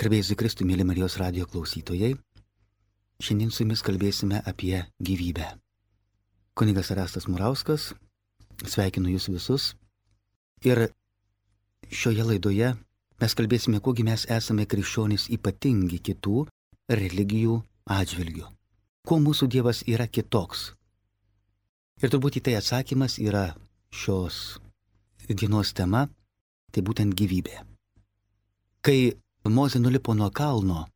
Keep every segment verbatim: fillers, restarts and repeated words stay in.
Garbėjus Kristui, mėly Marijos radijo klausytojai. Šiandien su jumis kalbėsime apie gyvybę. Kunigas Erastas Murauskas, sveikinu jūs visus. Ir šioje laidoje mes kalbėsime, kuogi mes esame krikščionys ypatingi kitų religijų atžvilgių. Kuo mūsų Dievas yra kitoks. Ir turbūt į tai atsakymas yra šios dienos tema, tai būtent gyvybė. Kai Mozė nulipo nuo kalno,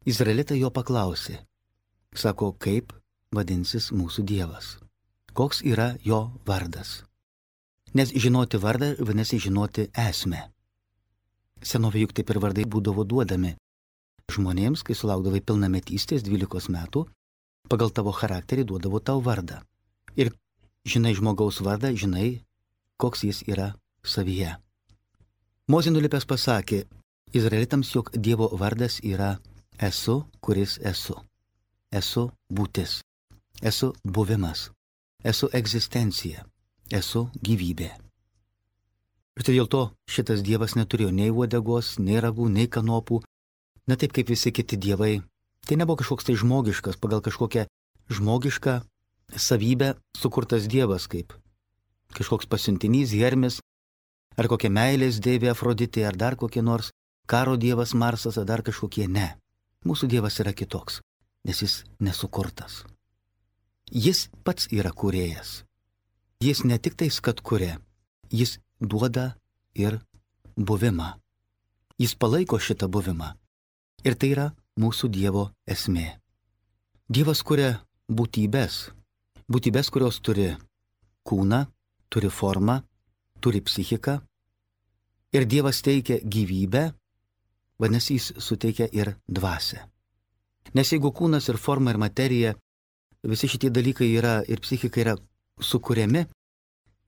izraelitai jo paklausė. Sako, kaip vadinsis mūsų Dievas? Koks yra jo vardas? Nes žinoti vardą vadinasi žinoti esmę. Senovė juk taip ir vardai būdavo duodami žmonėms, kai sulaukdavai pilnametystės dvylikos metų, pagal tavo charakterį duodavo tau vardą. Ir žinai žmogaus vardą, žinai, koks jis yra savyje. Mozė nulipęs pasakė izraelitams, jog Dievo vardas yra esu, kuris esu. Esu būtis. Esu buvimas. Esu egzistencija. Esu gyvybė. Ir tai dėl to šitas Dievas neturėjo nei uodegos, nei ragų, nei kanopų. Na taip kaip visi kiti dievai. Tai nebuvo kažkoks tai žmogiškas, pagal kažkokią žmogišką savybę sukurtas Dievas, kaip kažkoks pasiuntinys, Hermis, ar kokia meilės deivė Afroditė, ar dar kokie nors karo dievas Marsas, ar dar kažkokie. Ne. Mūsų Dievas yra kitoks, nes jis nesukurtas. Jis pats yra kūrėjas. Jis ne tik tais, kad kuria, jis duoda ir buvimą. Jis palaiko šitą buvimą. Ir tai yra mūsų Dievo esmė. Dievas kuria būtybės. Būtybės, kurios turi kūną, turi formą, turi psichiką. Ir Dievas teikia gyvybę, vadinasi, jis suteikia ir dvasią. Nes jeigu kūnas ir forma ir materija, visi šitie dalykai yra ir psichika yra sukuriami,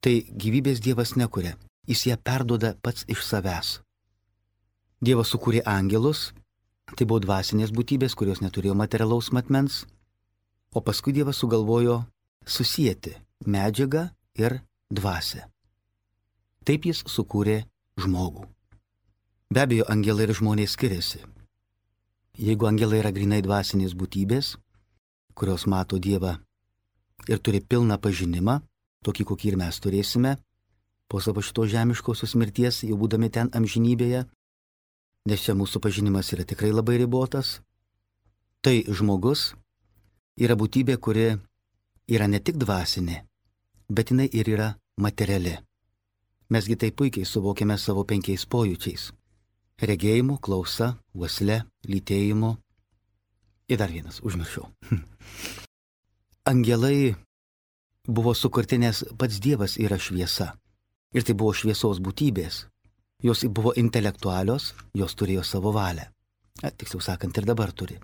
tai gyvybės Dievas nekuria. Jis ją perduoda pats iš savęs. Dievas sukūrė angelus, tai buvo dvasinės būtybės, kurios neturėjo materialaus matmens, o paskui Dievas sugalvojo susijęti medžiagą ir dvasią. Taip jis sukūrė žmogų. Be abejo, angelai ir žmonės skiriasi. Jeigu angelai yra grinai dvasinės būtybės, kurios mato Dievą ir turi pilną pažinimą, tokį kokį ir mes turėsime, po savo šito žemiškosios mirties, jau būdami ten amžinybėje, nes čia mūsų pažinimas yra tikrai labai ribotas, tai žmogus yra būtybė, kuri yra ne tik dvasinė, bet jinai ir yra materiali. Mesgi tai puikiai suvokiame savo penkiais pojūčiais. Regėjimu, klausa, uosle, lytėjimu. Ir dar vienas, užmiršau. Angelai buvo sukurti, nes pats Dievas yra šviesa. Ir tai buvo šviesos būtybės. Jos buvo intelektualios, jos turėjo savo valią. A, tiksliau sakant, ir dabar turi.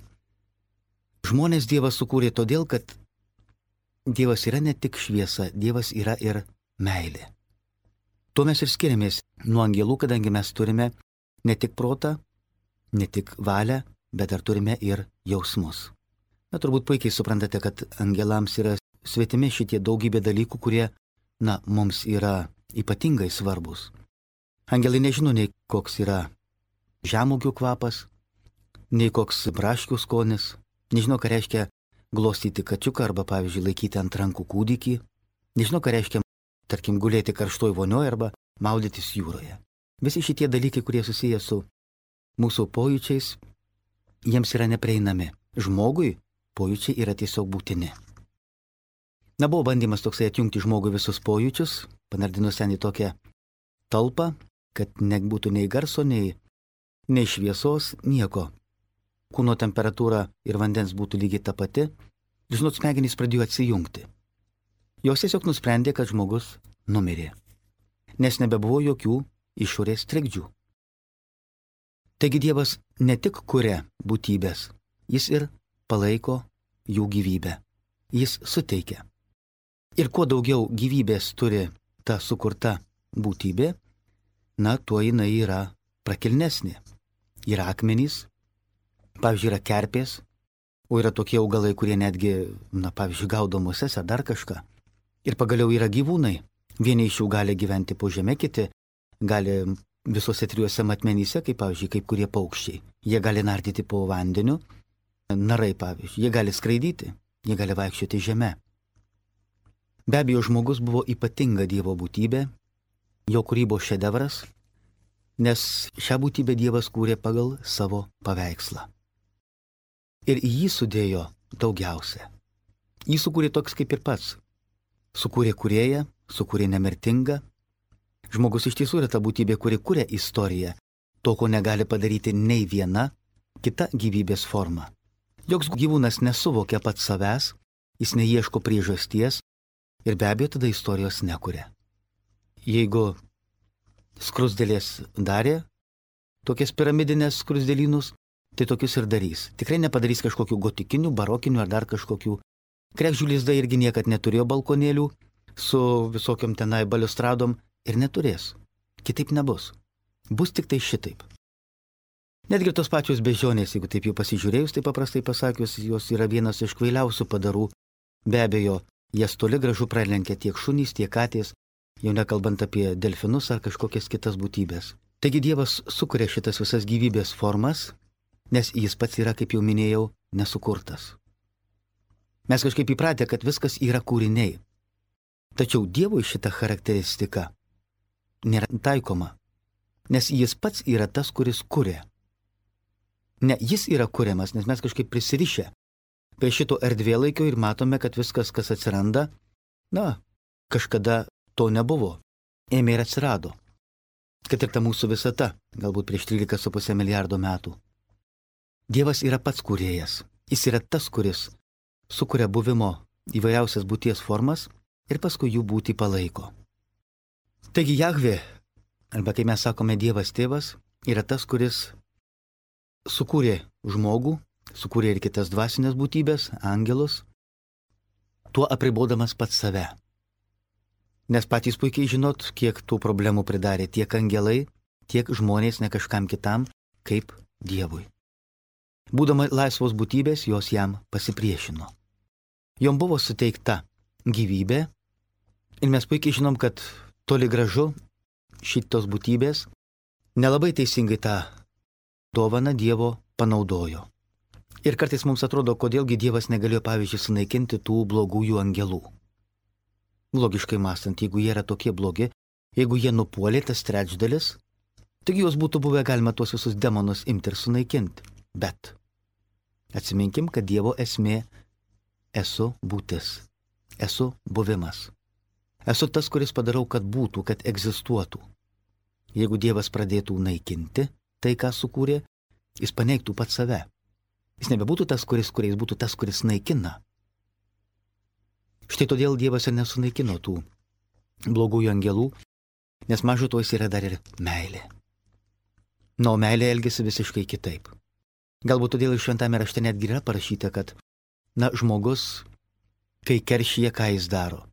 Žmonės Dievas sukūrė todėl, kad Dievas yra ne tik šviesa, Dievas yra ir meilė. Tuo mes ir skiriamės nuo angelų, kadangi mes turime ne tik protą, ne tik valią, bet dar turime ir jausmus. Na, turbūt puikiai suprantate, kad angelams yra svetimi šitie daugybė dalykų, kurie, na, mums yra ypatingai svarbus. Angelai nežino nei koks yra žemuogių kvapas, nei koks braškių skonis, nežino, ką reiškia glostyti kačiuką arba, pavyzdžiui, laikyti ant rankų kūdikį, nežino, ką reiškia, tarkim, gulėti karštoj vonioje arba maudytis jūroje. Visi šitie dalykai, kurie susiję su mūsų pojūčiais, jiems yra neprieinami. Žmogui pojūčiai yra tiesiog būtini. Na, buvo bandymas toksai atjungti žmogui visus pojūčius, panardinus ten į tokią talpą, kad nebūtų nei garso, nei, nei šviesos, nieko. Kūno temperatūra ir vandens būtų lygiai ta pati. Žinot, smegenys pradėjo atsijungti. Jos tiesiog nusprendė, kad žmogus numirė, nes nebebuvo jokių išorės trikdžių. Taigi Dievas ne tik kuria būtybės, jis ir palaiko jų gyvybę. Jis suteikia. Ir kuo daugiau gyvybės turi ta sukurta būtybė, na, tuo jinai yra prakilnesnė. Yra akmenys, pavyzdžiui, yra kerpės, o yra tokie augalai, kurie netgi, na, pavyzdžiui, gaudo muses ar dar kažką. Ir pagaliau yra gyvūnai. Vieni iš jų gali gyventi po žeme, kiti gali visose trijuose matmenyse, kaip, pavyzdžiui, kaip kurie paukščiai. Jie gali nardyti po vandeniu, narai pavyzdžiui, jie gali skraidyti, jie gali vaikščioti žeme. Be abejo, žmogus buvo ypatinga Dievo būtybė, jo kūrybos šedevras, nes šią būtybę Dievas kūrė pagal savo paveikslą. Ir į jį sudėjo daugiausia. Jį sukūrė toks kaip ir pats. Sukūrė kūrėją, sukūrė nemirtingą. Žmogus iš tiesų yra ta būtybė, kuri kūrė istoriją, to, ko negali padaryti nei viena kita gyvybės forma. Joks gyvūnas nesuvokia pats savęs, jis neieško priežasties ir be abejo tada istorijos nekuria. Jeigu skrusdėlės darė tokias piramidinės skrusdėlynus, tai tokius ir darys. Tikrai nepadarys kažkokių gotikinių, barokinių ar dar kažkokių. Kregždžių lizdai irgi niekad neturėjo balkonėlių su visokiom tenai baliustradom ir neturės. Kitaip nebus. Bus tik tai šitaip. Netgi tos pačios bežionės, jeigu taip jau pasižiūrėjus, tai paprastai pasakius, jos yra vienas iš kvailiausių padarų. Be abejo, jas toli gražu pralenkia tiek šunys, tiek katės, jau nekalbant apie delfinus ar kažkokias kitas būtybės. Taigi Dievas sukuria šitas visas gyvybės formas, nes jis pats yra, kaip jau minėjau, nesukurtas. Mes kažkaip įpratę, kad viskas yra kūriniai. Tačiau Dievui šita charakteristika nėra taikoma, nes jis pats yra tas, kuris kuria. Ne, jis yra kuriamas, nes mes kažkaip prisirišę prie šito erdvėlaikio ir matome, kad viskas, kas atsiranda, na, kažkada to nebuvo. Ėmė ir atsirado. Kad ir ta mūsų visata, galbūt prieš trylika su puse milijardo metų. Dievas yra pats kūrėjas. Jis yra tas, kuris sukuria buvimo įvairiausias būties formas ir paskui jų būtį palaiko. Taigi Jahvė, arba kai mes sakome Dievas tėvas, yra tas, kuris sukūrė žmogų, sukūrė ir kitas dvasinės būtybės, angelus, tuo apribodamas pats save. Nes patys puikiai žinot, kiek tų problemų pridarė tiek angelai, tiek žmonės ne kažkam kitam, kaip Dievui. Būdama laisvos būtybės, jos jam pasipriešino. Jom buvo suteikta gyvybė ir mes puikiai žinom, kad toli gražu šitos būtybės nelabai teisingai tą dovaną Dievo panaudojo. Ir kartais mums atrodo, kodėlgi Dievas negalėjo, pavyzdžiui, sunaikinti tų blogųjų angelų. Logiškai mąstant, jeigu jie yra tokie blogi, jeigu jie nupuolė tas trečdalis, taigi juos būtų buvę galima tuos visus demonus imti ir sunaikinti. Bet atsiminkim, kad Dievo esmė esu būtis, esu buvimas. Esu tas, kuris padarau, kad būtų, kad egzistuotų. Jeigu Dievas pradėtų naikinti tai, ką sukūrė, jis paneigtų pats save. Jis nebebūtų tas, kuris, kuris būtų tas, kuris naikina. Štai todėl Dievas ir nesunaikino tų blogųjų angelų, nes mažu to jis yra dar ir meilė. Na, o meilė elgesi visiškai kitaip. Galbūt todėl iš šventame rašte netgi yra parašyta, kad, na, žmogus, kai keršyje, ką jis daro.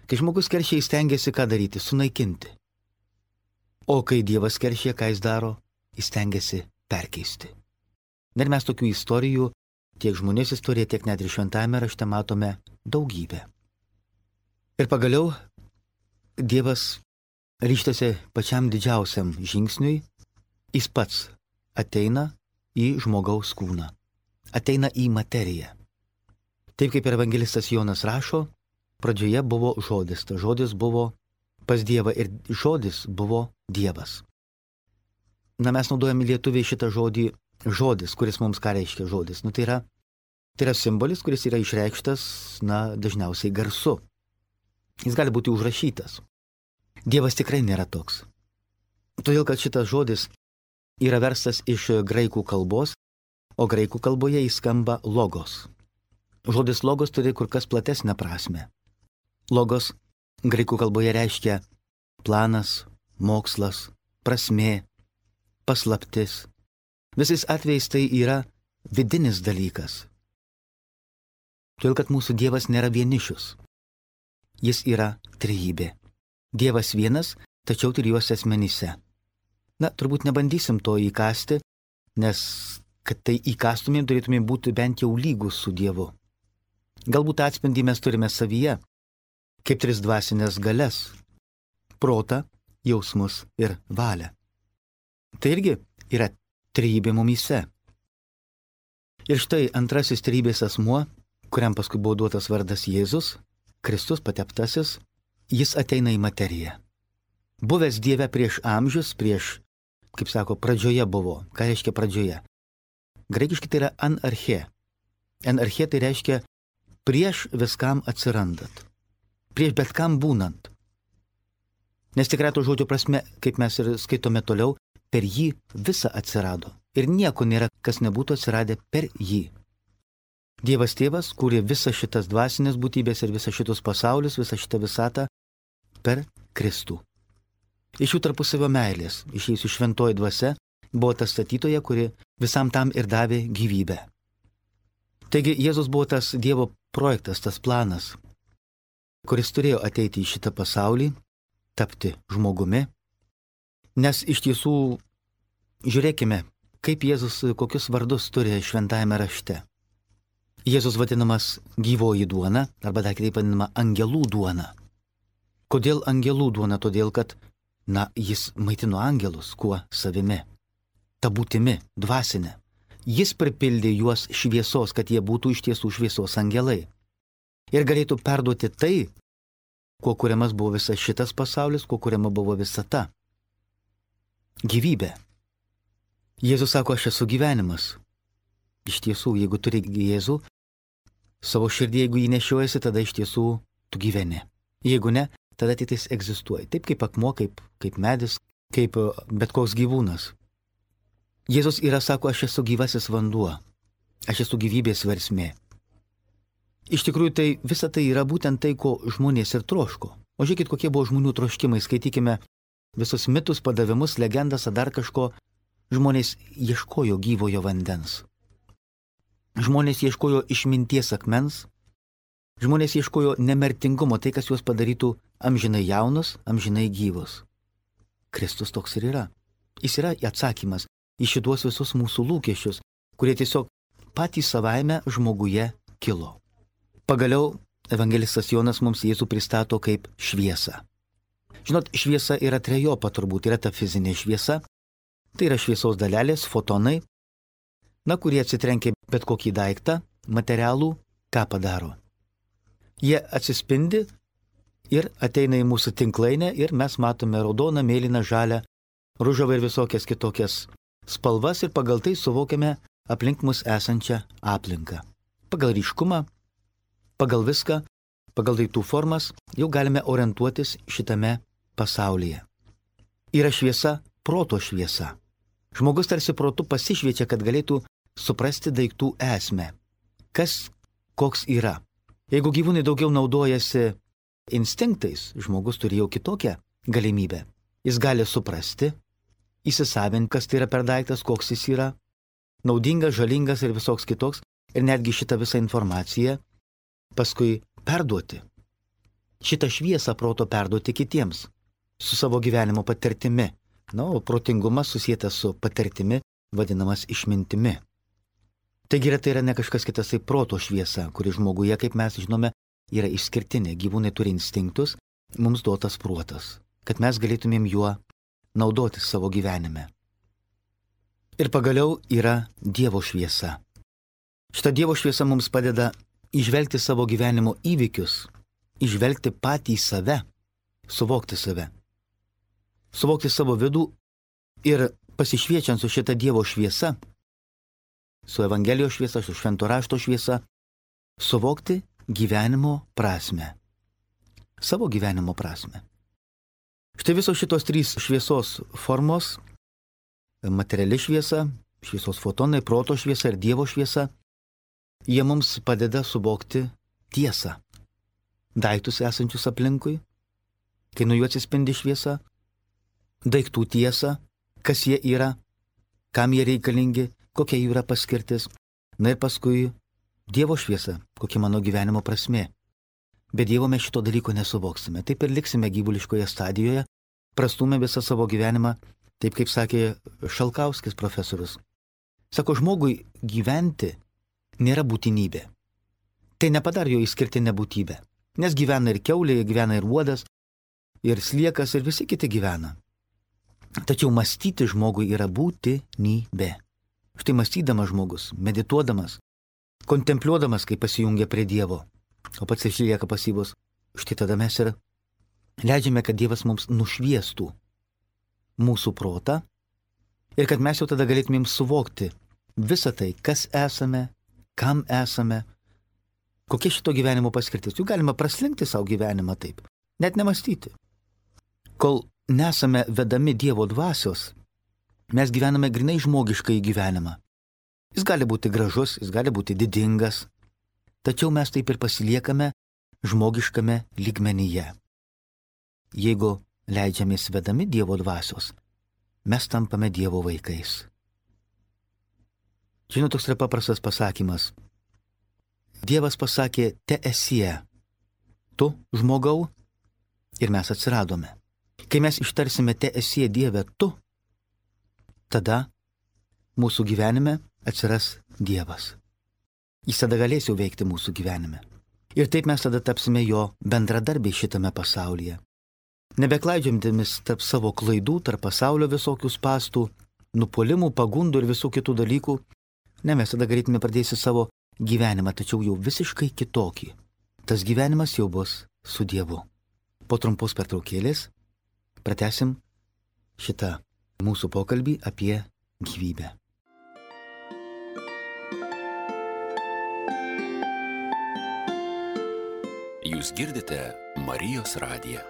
Kai žmogus keršyje, jis stengiasi ką daryti? Sunaikinti. O kai Dievas keršyje, ką jis daro? Jis stengiasi perkeisti. Ir mes tokių istorijų, tiek žmonės istorija, tiek net ir šventame rašte matome daugybę. Ir pagaliau Dievas ryžtasi pačiam didžiausiam žingsniui, jis pats ateina į žmogaus kūną, ateina į materiją. Taip kaip ir evangelistas Jonas rašo, pradžioje buvo žodis, tas žodis buvo pas Dievą ir žodis buvo Dievas. Na, mes naudojame lietuviai šitą žodį žodis, kuris mums ką reiškia žodis. Nu, tai yra, tai yra simbolis, kuris yra išreikštas, na, dažniausiai garsu. Jis gali būti užrašytas. Dievas tikrai nėra toks. Todėl, kad šitas žodis yra verstas iš graikų kalbos, o graikų kalboje jis skamba logos. Žodis logos turi kur kas platesnę prasme. Logos graikų kalboje reiškia planas, mokslas, prasmė, paslaptis. Visais atvejais tai yra vidinis dalykas. Todėl, kad mūsų Dievas nėra vienišius. Jis yra trejybė. Dievas vienas, tačiau trijuose asmenyse. Na, turbūt nebandysim to įkasti, nes kad tai įkastumėm, turėtumėm būti bent jau lygus su Dievu. Galbūt atspindį mes turime savyje, kaip tris dvasinės galias – protą, jausmus ir valią. Tai irgi yra trejybė mumyse, Ir štai antrasis trybės asmuo, kuriam paskui buvo duotas vardas Jėzus, Kristus pateptasis, jis ateina į materiją. Buvęs Dieve prieš amžius, prieš, kaip sako, pradžioje buvo. Ką reiškia pradžioje? Graikiškai tai yra anarchė. Anarchė tai reiškia prieš viskam atsirandat. Prieš bet kam būnant. Nes tikrai to žodžio prasme, kaip mes ir skaitome toliau, per jį visa atsirado. Ir nieko nėra, kas nebūtų atsiradę per jį. Dievas tėvas kūrė visą šitas dvasinės būtybės ir visą šitus pasaulius, visą šitą visatą per Kristų. Iš jų tarpusavio meilės, išėjusi šventoji dvasia, buvo ta statytoja, kuri visam tam ir davė gyvybę. Taigi Jėzus buvo tas Dievo projektas, tas planas, kuris turėjo ateiti į šitą pasaulį, tapti žmogumi. Nes iš tiesų, žiūrėkime, kaip Jėzus kokius vardus turi šventajame rašte. Jėzus vadinamas gyvoji duona, arba dar kitaip vadinama angelų duona. Kodėl angelų duona? Todėl, kad, na, jis maitino angelus, kuo savimi, ta būtimi, dvasinė. Jis pripildė juos šviesos, kad jie būtų iš tiesų šviesos angelai. Ir galėtų perduoti tai, kuo kuriamas buvo visas šitas pasaulis, kuo kuriama buvo visata. Gyvybė. Jėzus sako, aš esu gyvenimas. Iš tiesų, jeigu turi Jėzų, savo širdį, jeigu jį nešiojasi, tada iš tiesų tu gyveni. Jeigu ne, tada tik tais egzistuoja. Taip kaip akmuo, kaip, kaip medis, kaip bet koks gyvūnas. Jėzus yra, sako, aš esu gyvasis vanduo. Aš esu gyvybės versmė. Iš tikrųjų, tai visa tai yra būtent tai, ko žmonės ir troško. O žiūrėkit, kokie buvo žmonių troškimai. Skaitykime visus mitus, padavimus, legendas, ar dar kažko. Žmonės ieškojo gyvojo vandens. Žmonės ieškojo išminties akmens. Žmonės ieškojo nemirtingumo, tai, kas juos padarytų amžinai jaunus, amžinai gyvus. Kristus toks ir yra. Jis yra atsakymas į šitos visus mūsų lūkesčius, kurie tiesiog patys savaime žmoguje kilo. Pagaliau evangelistas Jonas mums Jėzų pristato kaip šviesą. Žinot, šviesa yra trejopa turbūt, yra ta fizinė šviesa, tai yra šviesos dalelės, fotonai, na, kurie atsitrenkia bet kokį daiktą, materialų, ką padaro. Jie atsispindi ir ateina į mūsų tinklainę ir mes matome raudoną, mėlyną, žalią, ružavą ir visokias kitokias spalvas ir pagal tai suvokiame aplink mus esančią aplinką. Pagal ryškumą, pagal viską, pagal daiktų formas jau galime orientuotis šitame pasaulyje. Yra šviesa, proto šviesa. Žmogus tarsi protu pasišviečia, kad galėtų suprasti daiktų esmę. Kas, koks yra. Jeigu gyvūnai daugiau naudojasi instinktais, žmogus turi jau kitokią galimybę. Jis gali suprasti, įsisavinti, kas tai yra per daiktas, koks jis yra, naudingas, žalingas ir visoks kitoks, ir netgi šitą visą informaciją paskui perduoti. Šitą šviesą proto perduoti kitiems, su savo gyvenimo patirtimi. Na, o protingumas susietas su patirtimi, vadinamas išmintimi. Taigi yra, tai yra ne kažkas kitas, tai proto šviesa, kuri žmoguje, kaip mes žinome, yra išskirtinė. Gyvūnai turi instinktus, mums duotas protas, kad mes galėtumėm juo naudotis savo gyvenime. Ir pagaliau yra Dievo šviesa. Šita Dievo šviesa mums padeda įžvelgti savo gyvenimo įvykius, įžvelgti patį save, suvokti save, suvokti savo vidų ir pasišviečiant su šita Dievo šviesa, su Evangelijos šviesa, su Švento rašto šviesa, suvokti gyvenimo prasme, savo gyvenimo prasme. Štai visos šitos trys šviesos formos, materiali šviesa, šviesos fotonai, proto šviesa ir Dievo šviesa, jie mums padeda suvokti tiesą. Daiktus esančius aplinkui, kai nuo jų atsispindi šviesa, daiktų tiesą, kas jie yra, kam jie reikalingi, kokia jų yra paskirtis, na ir paskui Dievo šviesa, kokia mano gyvenimo prasmė. Be Dievo mes šito dalyko nesuvoksime. Taip ir liksime gyvuliškoje stadijoje, prastumė visą savo gyvenimą, taip kaip sakė Šalkauskis profesorius. Sako, žmogui gyventi nėra būtinybė. Tai nepadaro jo išskirtinę būtybę. Nes gyvena ir kiaulė, gyvena ir uodas, ir sliekas, ir visi kiti gyvena. Tačiau mąstyti žmogui yra būtinybė. Štai mąstydamas žmogus, medituodamas, kontempliuodamas, kai pasijungia prie Dievo, o pats išlieka pasyvus, štai tada mes ir leidžiame, kad Dievas mums nušviestų mūsų protą ir kad mes jau tada galėtumėm suvokti visą tai, kas esame, kam esame, kokia šito gyvenimo paskirtis. Juk galima praslinkti savo gyvenimą taip, net nemastyti. Kol nesame vedami Dievo dvasios, mes gyvename grinai žmogiškai gyvenimą. Jis gali būti gražus, jis gali būti didingas, tačiau mes taip ir pasiliekame žmogiškame lygmenyje. Jeigu leidžiamės vedami Dievo dvasios, mes tampame Dievo vaikais. Žinot, toks yra paprastas pasakymas. Dievas pasakė, te esie, tu žmogau, ir mes atsiradome. Kai mes ištarsime te esie Dieve tu, tada mūsų gyvenime atsiras Dievas. Jis tada galės jau veikti mūsų gyvenime. Ir taip mes tada tapsime jo bendradarbiai šitame pasaulyje. Nebeklaidžiantėmis tarp savo klaidų, tarp pasaulio visokių spastų, nupuolimų, pagundų ir visų kitų dalykų, ne, mes tada galėtume pradėti savo gyvenimą, tačiau jau visiškai kitokį. Tas gyvenimas jau bus su Dievu. Po trumpos pertraukėlės pratęsim šitą mūsų pokalbį apie gyvybę. Jūs girdite Marijos radiją.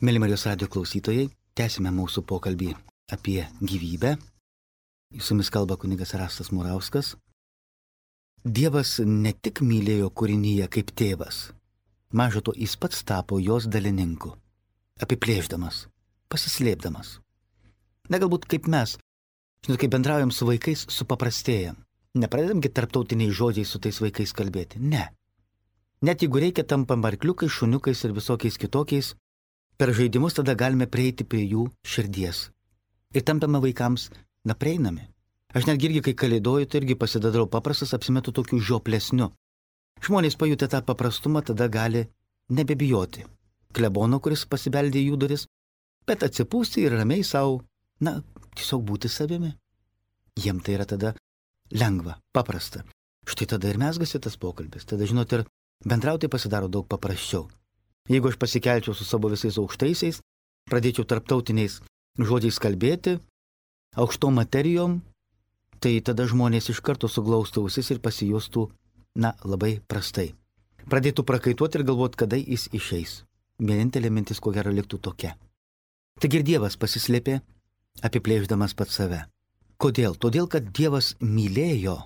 Mėly Marijos radijo klausytojai, tęsime mūsų pokalbį apie gyvybę. Su jumis kalba kunigas Erastas Murauskas. Dievas ne tik mylėjo kūrinyje kaip tėvas, maža to jis pats tapo jos dalininku, apiplėždamas, pasislėpdamas. Ne galbūt kaip mes, žinot, kai bendraujam su vaikais, supaprastėjam. Nepradedamgi tarptautiniais žodžiais su tais vaikais kalbėti. Ne. Net jeigu reikia, tampam arkliukais, šuniukais ir visokiais kitokiais, per žaidimus tada galime prieiti prie jų širdies. Ir tampame vaikams neprieinami. Aš netgi irgi, kai kalėdoju, tai irgi pasidadarau paprastas, apsimetu tokiu žioplesniu. Žmonės pajutę tą paprastumą tada gali nebebijoti klebono, kuris pasibeldė į jų duris, bet atsipūsti ir ramiai savo, na, tiesiog būti savimi. Jiem tai yra tada lengva, paprasta. Štai tada ir mesgasi tas pokalbis. Tada, žinot, ir bendrauti pasidaro daug paprasčiau. Jeigu aš pasikelčiau su savo visais aukštaisiais, pradėčiau tarptautiniais žodžiais kalbėti, aukštom materijom, tai tada žmonės iš karto suglaustų ausis ir pasijustų, na, labai prastai. Pradėtų prakaituoti ir galvoti, kada jis išeis. Vienintelė mintis, ko gero, liktų tokia. Taigi ir Dievas pasislėpė, apiplėždamas pats save. Kodėl? Todėl, kad Dievas mylėjo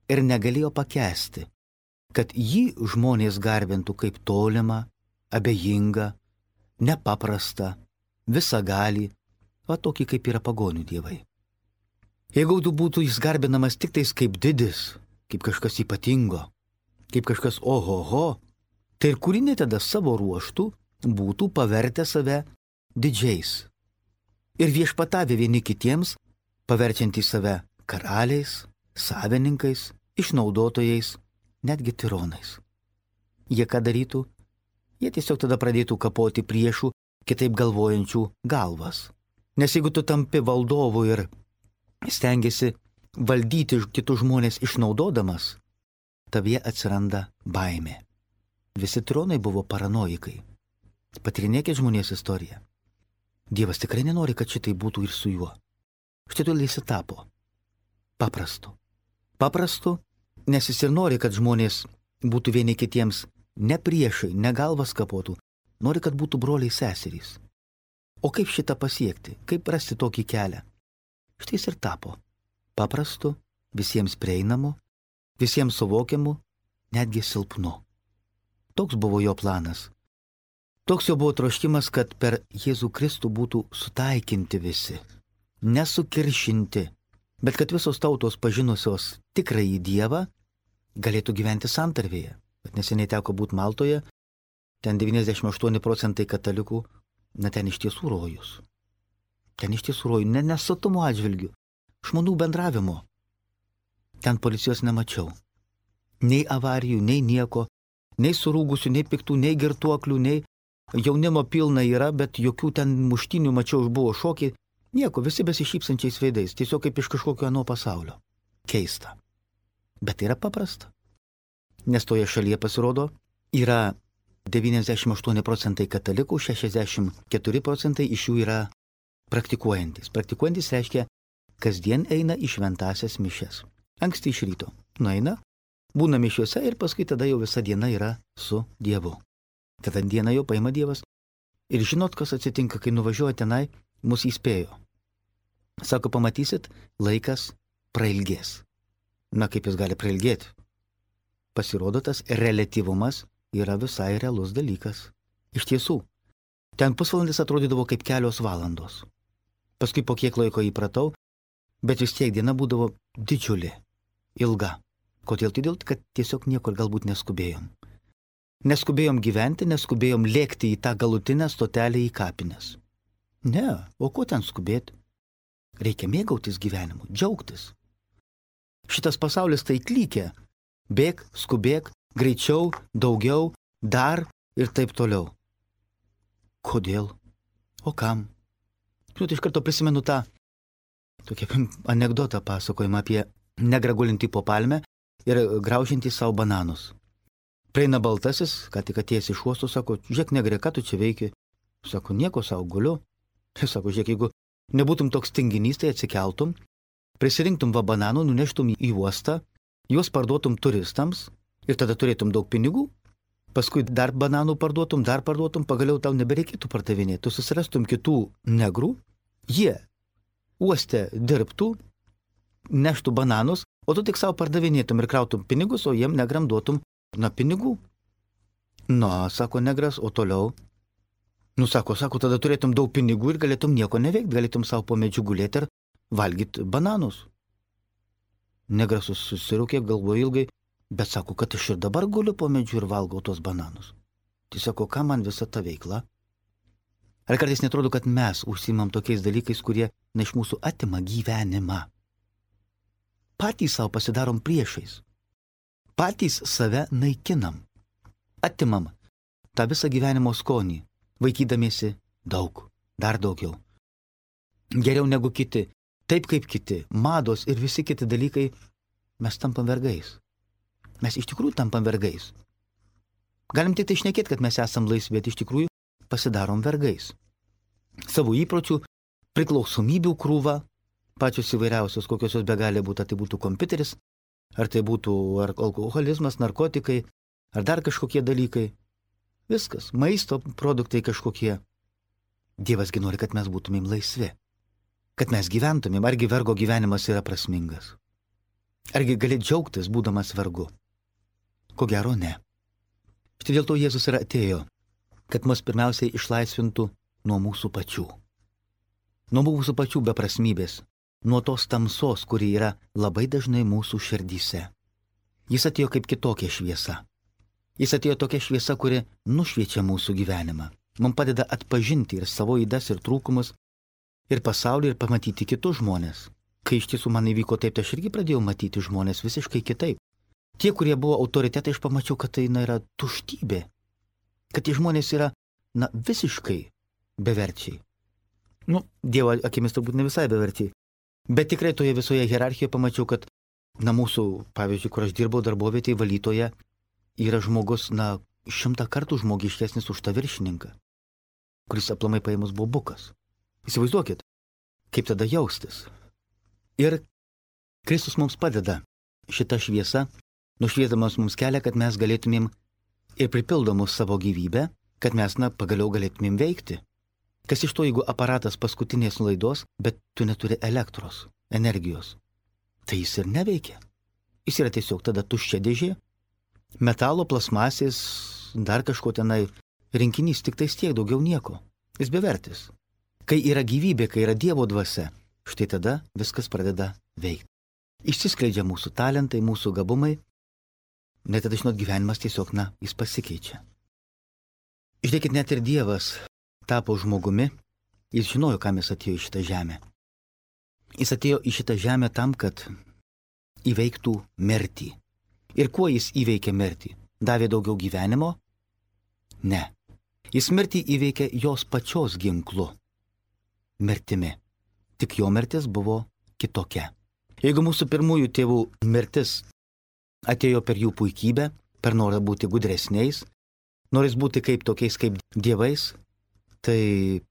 ir negalėjo pakęsti, kad jį žmonės garbintų kaip tolimą, abejingą, nepaprastą, visagalį, va tokį kaip yra pagonių dievai. Jeigu būtų jis garbinamas tik tais kaip didis, kaip kažkas ypatingo, kaip kažkas ohoho, tai ir kūriniai tada savo ruoštų būtų pavertę save didžiais. Ir viešpatavę vieni kitiems, paverčiantys save karaliais, savininkais, išnaudotojais, netgi tironais. Jie ką darytų? Jie tiesiog tada pradėtų kapoti priešų, kitaip galvojančių galvas. Nes jeigu tu tampi valdovu ir stengiasi valdyti kitus žmonės išnaudodamas, tavyje atsiranda baimė. Visi tironai buvo paranoikai. Patirinėkit žmonės istoriją. Dievas tikrai nenori, kad šitai būtų ir su juo. Štai todėl jis tapo paprastu. Paprastu, nes jis ir nori, kad žmonės būtų vieni kitiems ne priešai, ne galvas kapotų, nori, kad būtų broliai seserys. O kaip šitą pasiekti? Kaip rasti tokį kelią? Štai jis ir tapo paprastu, visiems prieinamu, visiems suvokiamu, netgi silpnu. Toks buvo jo planas. Toks jo buvo troškimas, kad per Jėzų Kristų būtų sutaikinti visi, nesukiršinti, bet kad visos tautos pažinusios tikrąjį Dievą galėtų gyventi santarvėje. Bet neseniai teko būti Maltoje, ten devyniasdešimt aštuoni procentai katalikų, na ten iš tiesų rojus. Ten iš tiesų rojų, ne nesotumo atžvilgių, žmonių bendravimo. Ten policijos nemačiau. Nei avarijų, nei nieko, nei surūgusių, nei piktų, nei girtuoklių, nei jaunimo pilna yra, bet jokių ten muštinių mačiau, buvo šokiai. Nieko, visi besišypsančiais veidais, tiesiog kaip iš kažkokio ano pasaulio. Keista. Bet tai yra paprasta. Nes toje šalyje pasirodo, yra devyniasdešimt aštuoni procentai katalikų, šešiasdešimt keturi procentai iš jų yra praktikuojantis. Praktikuojantis reiškia, kasdien eina į šventąsias mišias. Anksti iš ryto nueina, būna mišiuose ir paskui tada jau visa diena yra su Dievu. Tada dieną jau paima Dievas. Ir žinot, kas atsitinka, kai nuvažiuoja tenai, mus įspėjo. Sako, pamatysit, laikas prailgės. Na, kaip jis gali prailgėti? Pasirodo, tas reliatyvumas yra visai realus dalykas. Iš tiesų, ten pusvalandis atrodydavo kaip kelios valandos. Paskui po kiek laiko įpratau, bet vis tiek diena būdavo didžiulė, ilga. Kodėl? Todėl, kad tiesiog niekur galbūt neskubėjom. Neskubėjom gyventi, neskubėjom lėkti į tą galutinę stotelę į kapines. Ne, o ko ten skubėti? Reikia mėgautis gyvenimu, džiaugtis. Šitas pasaulis tai klykia. Bėk, skubėk, greičiau, daugiau, dar ir taip toliau. Kodėl? O kam? Žinot, iš karto prisimenu tą tokią anekdotą pasakojimą apie negrą gulintį po palmę ir graužintį savo bananus. Prieina baltasis, ką tik atėjęs iš uosto, sako, žiūrėk, negrė, ką tu čia veiki? Sako, nieko savo guliu. Sako, žiūrėk, jeigu nebūtum toks tinginys, tai atsikeltum, prisirinktum va bananų, nuneštum į uostą, juos parduotum turistams ir tada turėtum daug pinigų, paskui dar bananų parduotum, dar parduotum, pagaliau tau nebereikėtų pardavinėti. Tu susirastum kitų negrų, jie uoste dirbtų, neštų bananus, o tu tik savo pardavinėtum ir krautum pinigus, o jiem negram duotum, na, pinigų. Na, sako negras, o toliau. Nu, sako, sako, tada turėtum daug pinigų ir galėtum nieko neveikti, galėtum savo po medžiu gulėti ir valgyti bananus. Negras susirūkė, galvojo ilgai, bet sako, kad aš ir dabar guliu po medžiu ir valgau tos bananus. Tai sako, ką man visa ta veikla? Ar kartais netrodo, kad mes užsiimam tokiais dalykais, kurie na iš mūsų atima gyvenimą? Patys savo pasidarom priešais. Patys save naikinam. Atimam tą visą gyvenimo skonį, vaikydamiesi daug, dar daugiau. Geriau negu kiti, taip kaip kiti, mados ir visi kiti dalykai, mes tampam vergais. Mes iš tikrųjų tampam vergais. Galim tik tai šnekėti, kad mes esam laisvi, bet iš tikrųjų pasidarom vergais. Savo įpročių, priklausomybių krūva, pačios įvairiausios, kokios jos begali būti, ar tai būtų kompiuteris, ar tai būtų ar alkoholizmas, narkotikai, ar dar kažkokie dalykai. Viskas, maisto produktai kažkokie. Dievasgi nori, kad mes būtumėm laisvi. Kad mes gyventumėm, argi vergo gyvenimas yra prasmingas. Argi gali džiaugtis, būdamas vergu? Ko gero ne. Štai dėl to Jėzus ir atėjo, kad mus pirmiausiai išlaisvintų nuo mūsų pačių. Nuo mūsų pačių beprasmybės, nuo tos tamsos, kuri yra labai dažnai mūsų širdyse. Jis atėjo kaip kitokia šviesa. Jis atėjo tokia šviesa, kuri nušviečia mūsų gyvenimą. Mums padeda atpažinti ir savo ydas ir trūkumus, ir pasaulį, ir pamatyti kitus žmonės. Kai iš tiesų man įvyko taip, tai aš irgi pradėjau matyti žmonės visiškai kitaip. Tie, kurie buvo autoritetai, aš pamačiau, kad tai na, yra tuštybė. Kad tie žmonės yra na, visiškai beverčiai. Nu, Dievo akimis turbūt ne visai beverčiai. Bet tikrai toje visoje hierarchijoje pamačiau, kad na, mūsų, pavyzdžiui, kur aš dirbau darbovietėje valytoje, yra žmogus, na, šimtą kartų žmogiškesnis už tą viršininką, kuris aplamai paėmus buvo bukas. Įsivaizduokit, kaip tada jaustis. Ir Kristus mums padeda šitą šviesą, nušviesdamas mums kelią, kad mes galėtumėm ir pripildomus savo gyvybę, kad mes, na, pagaliau galėtumėm veikti. Kas iš to, jeigu aparatas paskutinės laidos, bet tu neturi elektros, energijos, tai jis ir neveikia. Jis yra tiesiog tada tuščia dėžė, metalo, plasmasės, dar kažko tenai rinkinys, tik tais tiek, daugiau nieko. Jis bevertis. Kai yra gyvybė, kai yra Dievo dvasia, štai tada viskas pradeda veikti. Išsiskleidžia mūsų talentai, mūsų gabumai, net tada, žinot, gyvenimas tiesiog, na, jis pasikeičia. Žiūrėkit, net ir Dievas tapo žmogumi, jis žinojo, kam jis atėjo į šitą žemę. Jis atėjo į šitą žemę tam, kad įveiktų mirtį. Ir kuo jis įveikė mirtį? Davė daugiau gyvenimo? Ne. Jis mirtį įveikė jos pačios ginklu. Mirtimi. Tik jo mirtis buvo kitokia. Jeigu mūsų pirmųjų tėvų mirtis atėjo per jų puikybę, per norą būti gudresniais, noris būti kaip tokiais kaip dievais, tai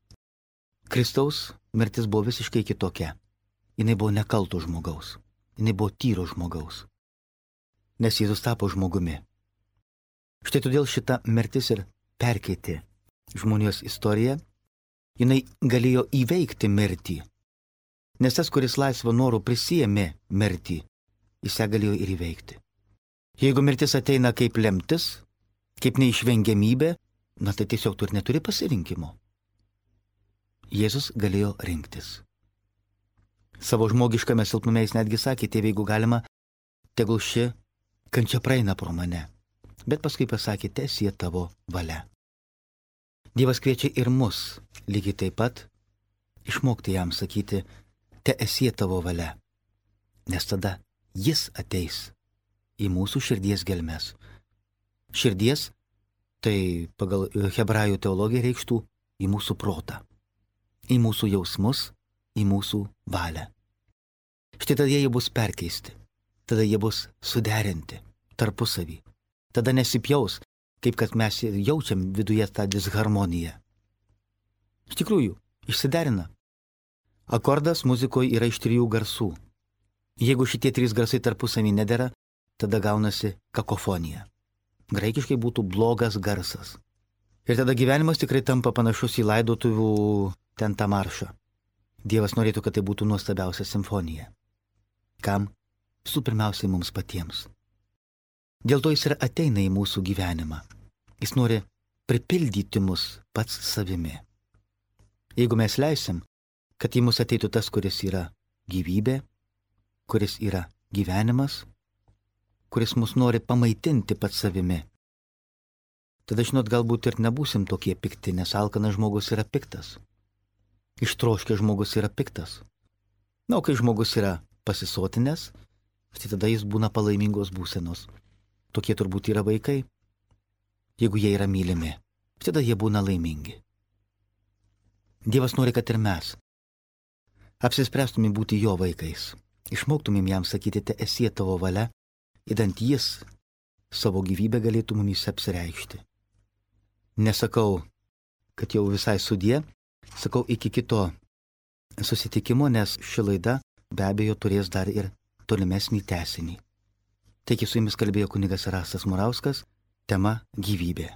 Kristaus mirtis buvo visiškai kitokia. Jinai buvo nekalto žmogaus. Jinai buvo tyro žmogaus. Nes Jėzus tapo žmogumi. Štai todėl šita mirtis ir perkeitė žmonijos istoriją. Jinai galėjo įveikti mirtį. Nes tas, kuris laisvą norų prisijėmė mirtį, jis ją galėjo ir įveikti. Jeigu mirtis ateina kaip lemtis, kaip neišvengiamybė, na tai tiesiog tu ir neturi pasirinkimo. Jėzus galėjo rinktis. Savo žmogiškame silpnume jis netgi sakė, tėve, jeigu galima, tegul ši kančia praeina pro mane. Bet paskui pasakė, teesie tavo valia. Dievas kviečia ir mus, lygiai taip pat, išmokti jam sakyti, teesie tavo valia. Nes tada jis ateis į mūsų širdies gelmes. Širdies, tai pagal hebrajų teologiją reikštų į mūsų protą, į mūsų jausmus, į mūsų valią. Štai tada jie bus perkeisti, tada jie bus suderinti tarpusavį. Tada nesipjaus, kaip kad mes jaučiam viduje tą disharmoniją. Iš tikrųjų, išsiderina. Akordas muzikoje yra iš trijų garsų. Jeigu šitie trys garsai tarpusavį nedera, tada gaunasi kakofonija. Graikiškai būtų blogas garsas. Ir tada gyvenimas tikrai tampa panašus į laidotuvių ten tą maršą. Dievas norėtų, kad tai būtų nuostabiausia simfonija. Kam? Visų pirmiausiai mums patiems. Dėl to jis ir ateina į mūsų gyvenimą. Jis nori pripildyti mus pats savimi. Jeigu mes leisim, kad į mus ateitų tas, kuris yra gyvybė, kuris yra gyvenimas, kuris mus nori pamaitinti pats savimi, tada, žinot, galbūt ir nebūsim tokie pikti, nes alkanas žmogus yra piktas. Ištroškęs žmogus yra piktas. Na, o kai žmogus yra pasisotinęs, tai tada jis būna palaimingos būsenos. Tokie turbūt yra vaikai. Jeigu jie yra mylimi, tada jie būna laimingi. Dievas nori, kad ir mes apsispręstumėm būti jo vaikais. Išmoktumėm jam sakyti, te esie tavo valia, idant jis savo gyvybę galėtų mumis apsireikšti. Nesakau, kad jau visai sudie, sakau iki kito susitikimo, nes ši laida be abejo turės dar ir tolimesnį tęsinį. Taigi su jumis kalbėjo kunigas Rastas Murauskas, tema gyvybė.